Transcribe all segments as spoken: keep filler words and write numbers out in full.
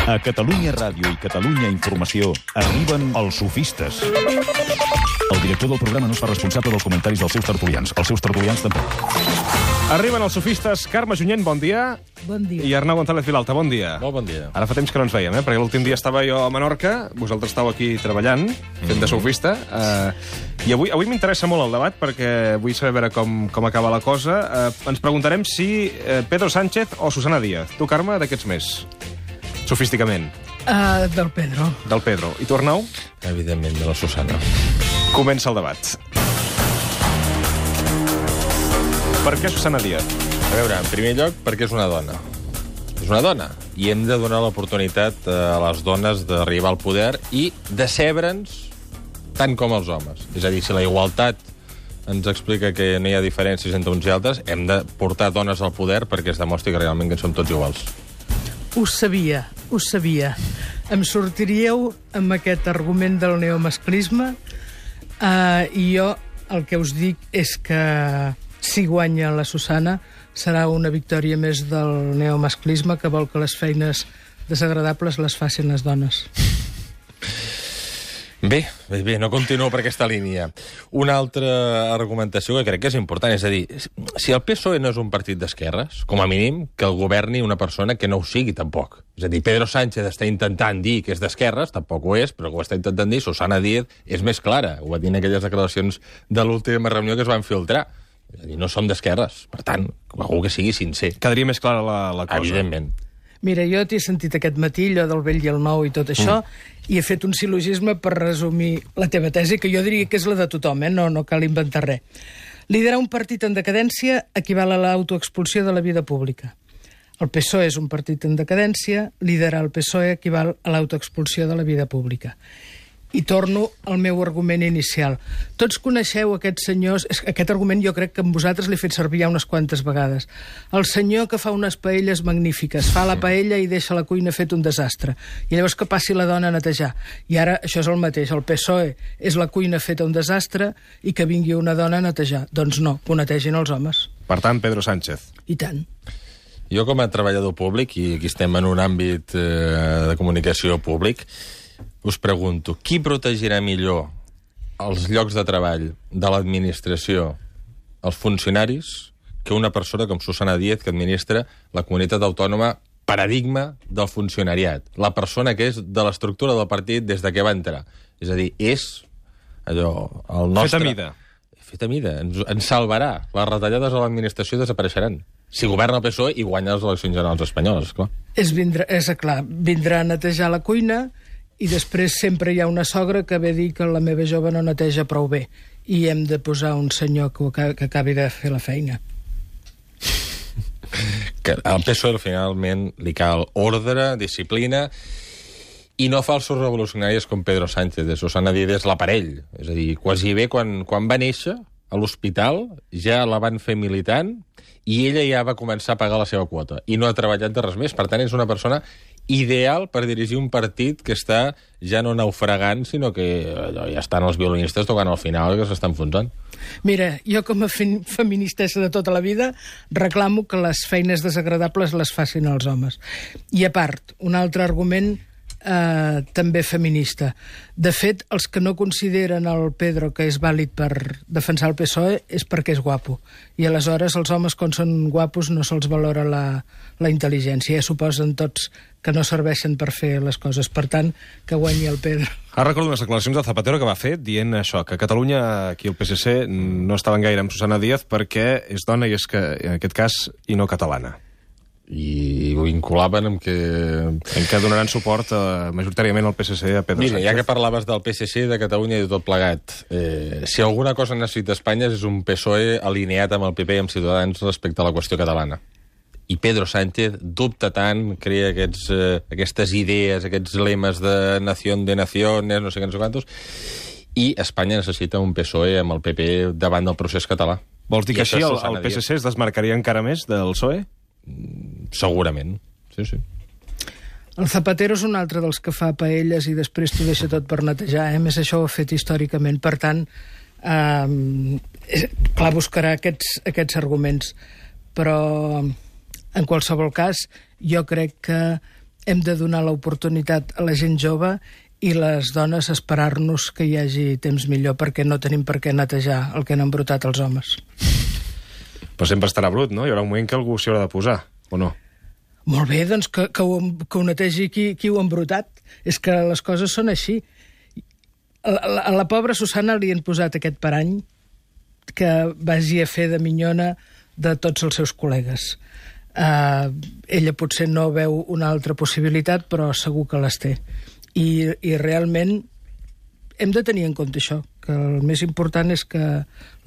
A Catalunya Ràdio i Catalunya Informació arriben els sofistes. El director del programa no es fa responsable dels comentaris dels seus tertulians. Els seus tertulians tampoc. Arriben els sofistes. Carme Junyent, bon dia. Bon dia. I Arnau González Vilalta, bon dia. Molt bon dia. Ara fa temps que no ens veiem, eh? Perquè l'últim dia estava jo a Menorca, vosaltres estàu aquí treballant, fent de sofista, eh, i avui, avui m'interessa molt el debat, perquè vull saber veure com, com acaba la cosa. Eh, ens preguntarem si eh, Pedro Sánchez o Susana Díaz. Tu, Carme, d'aquests més? Sofísticament. Uh, del Pedro. Del Pedro. I tu, Arnau? Evidentment, de la Susana. Comença el debat. Per què Susana Díaz? A veure, en primer lloc, perquè és una dona. És una dona. I hem de donar l'oportunitat a les dones d'arribar al poder i decebre'ns tant com els homes. És a dir, si la igualtat ens explica que no hi ha diferències entre uns i altres, hem de portar dones al poder perquè es demostri que realment que som tots iguals. Ho sabia, ho sabia. Em sortiríeu amb aquest argument del neomasclisme uh, i jo el que us dic és que si guanya la Susana serà una victòria més del neomasclisme que vol que les feines desagradables les facin les dones. Bé, bé, bé, no continuo per aquesta línia. Una altra argumentació que crec que és important, és a dir, si el P S O E no és un partit d'esquerres, com a mínim que el governi una persona que no ho sigui tampoc. És a dir, Pedro Sánchez està intentant dir que és d'esquerres, tampoc ho és, però ho està intentant dir, Susana Díaz és més clara, ho va dir en aquelles declaracions de l'última reunió que es van filtrar. És a dir, no som d'esquerres, per tant, algú que sigui sincer. Quedaria més clara la, la cosa. Evidentment. Mira, jo t'he sentit aquest matí, allò del vell i el nou i tot això, mm. i he fet un sil·logisme per resumir la teva tesi, que jo diria que és la de tothom, eh? no, no cal inventar res. Liderar un partit en decadència equival a l'autoexpulsió de la vida pública. El P S O E és un partit en decadència, liderar el P S O E equival a l'autoexpulsió de la vida pública. I torno al meu argument inicial. Tots coneixeu aquests senyors... Aquest argument jo crec que amb vosaltres l'he fet servir ja unes quantes vegades. El senyor que fa unes paelles magnífiques, fa la paella i deixa la cuina fet un desastre. I llavors que passi la dona a netejar. I ara això és el mateix. El P S O E és la cuina feta un desastre i que vingui una dona a netejar. Doncs no, que ho netegin els homes. Per tant, Pedro Sánchez. I tant. Jo, com a treballador públic, i aquí estem en un àmbit eh, de comunicació públic, us pregunto, qui protegirà millor els llocs de treball de l'administració, els funcionaris, que una persona com Susana Díaz, que administra la comunitat autònoma paradigma del funcionariat? La persona que és de l'estructura del partit des de que va entrar. És a dir, és allò, el nostre... Fet a mida. Fet a mida. Ens, ens salvarà. Les retallades a l'administració desapareixeran. Si governa el P S O E i guanya les eleccions generals espanyoles, clar. És, vindrà, és clar, vindrà a netejar la cuina i després sempre hi ha una sogra que ve a dir que la meva jove no neteja prou bé i hem de posar un senyor que, que acabi de fer la feina. Que al P S O E finalment li cal ordre, disciplina i no falsos revolucionaris com Pedro Sánchez. De Susana Díaz és l'aparell. És a dir, quasi bé quan, quan va néixer a l'hospital ja la van fer militant i ella ja va començar a pagar la seva quota i no ha treballat de res més. Per tant, és una persona ideal per dirigir un partit que està ja no naufragant, sinó que allò, ja estan els violinistes tocant al final que s'estan enfonsant. Mira, jo com a feministessa de tota la vida reclamo que les feines desagradables les facin els homes. I a part, un altre argument eh, també feminista. De fet, els que no consideren el Pedro que és vàlid per defensar el P S O E és perquè és guapo. I aleshores els homes, quan són guapos, no se'ls valora la, la intel·ligència. Ja suposen tots que no serveixen per fer les coses. Per tant, que guanyi el Pedro. Ara recordo unes declaracions de Zapatero que va fer dient això, que a Catalunya, aquí el P S C, no estaven gaire amb Susana Díaz perquè és dona i és que, en aquest cas, i no catalana. I ho vinculaven amb que... En què donaran suport eh, majoritàriament al P S C a Pedro Mira, Sánchez. ja que parlaves del P S C, de Catalunya i de tot plegat, eh, si alguna cosa necessita Espanya és un P S O E alineat amb el P P i amb Ciutadans respecte a la qüestió catalana. I Pedro Sánchez dubta tant, crea aquests, eh, aquestes idees, aquests lemes de nación de naciones, no sé què, no sé quantos, i Espanya necessita un P S O E amb el P P davant del procés català. Vols dir I que així el, Susana el P S C Díaz. es desmarcaria encara més del P S O E? Segurament, sí, sí. El Zapatero és un altre dels que fa paelles i després t'ho deixa tot per netejar. Eh? A més, això ho ha fet històricament. Per tant, eh, clar, buscarà aquests, aquests arguments. Però, en qualsevol cas, jo crec que hem de donar l'oportunitat a la gent jove i les dones esperar-nos que hi hagi temps millor, perquè no tenim per què netejar el que han embrutat els homes. Però sempre estarà brut, no? Hi haurà un moment que algú s'hi haurà de posar, o no? Molt bé, doncs que, que, ho, que ho netegi qui, qui ho ha embrutat. És que les coses són així. A la, a la pobra Susana li han posat aquest parany que vagi a fer de minyona de tots els seus col·legues. Uh, ella potser no veu una altra possibilitat, però segur que les té. I, i realment hem de tenir en compte això, que el més important és que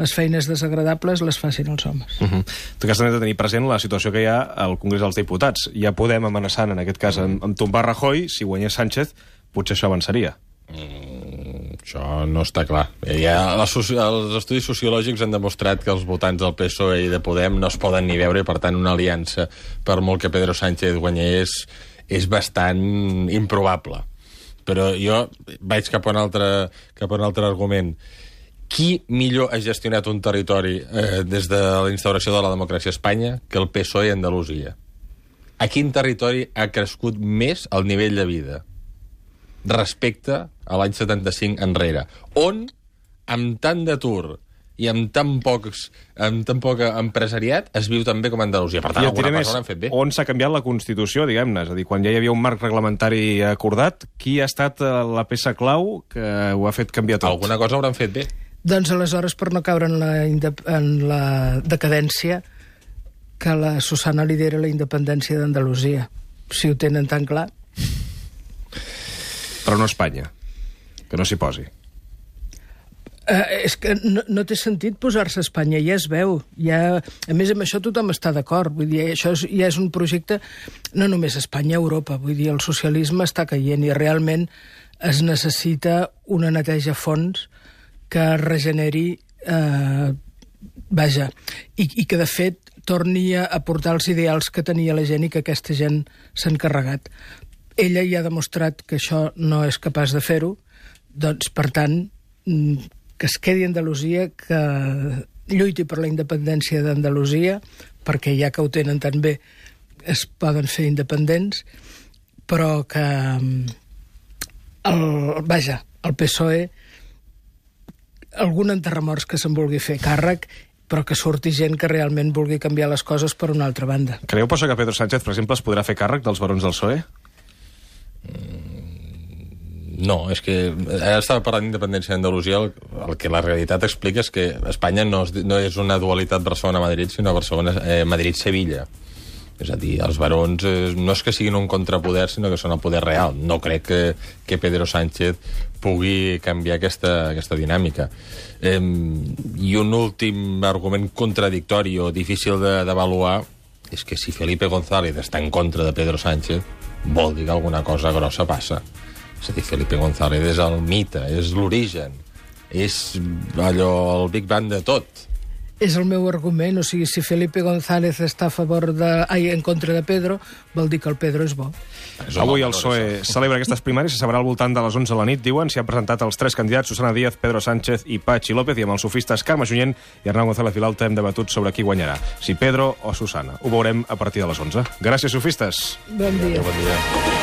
les feines desagradables les facin els homes. Uh -huh. Tu que has de tenir present la situació que hi ha al Congrés dels Diputats. Ja podem amenaçant, en aquest cas, amb, amb tombar Rajoy. Si guanyés Sánchez, potser això avançaria. Mm, això no està clar. Ja, les, els estudis sociològics han demostrat que els votants del P S O E i de Podem no es poden ni veure, i per tant una aliança, per molt que Pedro Sánchez guanyés, és bastant improbable. Però jo vaig cap a un altre, cap a un altre argument. Qui millor ha gestionat un territori eh, des de la instauració de la democràcia a Espanya que el P S O E i Andalusia? A quin territori ha crescut més el nivell de vida respecte a l'any setanta-cinc enrere? On, amb tant d'atur i amb tan pocs, amb tan poc empresariat, es viu també com a Andalusia. Per tant, alguna cosa l'han fet bé. On s'ha canviat la Constitució, diguem-ne? És a dir, quan ja hi havia un marc reglamentari acordat, qui ha estat la peça clau que ho ha fet canviar tot? Alguna cosa hauran fet bé. Doncs aleshores, per no caure en la, en la decadència, que la Susana lidera la independència d'Andalusia. Si ho tenen tan clar. Però no Espanya. Que no s'hi posi. Uh, és que no, no té sentit posar-se a Espanya, ja es veu. Ja, a més, amb això tothom està d'acord. Vull dir, això és, ja és un projecte, no només a Espanya, a Europa. Vull dir, el socialisme està caient i realment es necessita una neteja a fons que regeneri, eh, vaja, i, i que, de fet, torni a aportar els ideals que tenia la gent i que aquesta gent s'ha encarregat. Ella ja ha demostrat que això no és capaç de fer-ho, doncs, per tant, que es quedi a Andalusia, que lluiti per la independència d'Andalusia, perquè ja que ho tenen tan bé es poden fer independents, però que el, vaja, el P S O E algun enterramorts que se'n vulgui fer càrrec, però que surti gent que realment vulgui canviar les coses per una altra banda. Creieu, per això, que Pedro Sánchez, per exemple, es podrà fer càrrec dels barons del P S O E? No, és que ara estava parlant d'independència d'Andalusia, el, el que la realitat explica és que Espanya no és, no és una dualitat Barcelona-Madrid, sinó Barcelona-Madrid-Sevilla. És a dir, els barons eh, no és que siguin un contrapoder, sinó que són el poder real. No crec que, que Pedro Sánchez pugui canviar aquesta, aquesta dinàmica. Eh, I un últim argument contradictori o difícil d'avaluar és que si Felipe González està en contra de Pedro Sánchez, vol dir que alguna cosa grossa passa. És a dir, Felipe González és el mite, és l'origen, és allò, el Big Bang de tot. És el meu argument, o sigui, si Felipe González està a favor de... ai, en contra de Pedro, vol dir que el Pedro és bo. Avui el P S O E celebra aquestes primàries, se sabrà al voltant de les onze de la nit, diuen. S'hi han presentat els tres candidats, Susana Díaz, Pedro Sánchez i Patxi López, i amb els sofistes Carme Junyent i Arnau González Vilalta hem debatut sobre qui guanyarà, si Pedro o Susana. Ho veurem a partir de les onze. Gràcies, sofistes. Bon dia. Bon dia.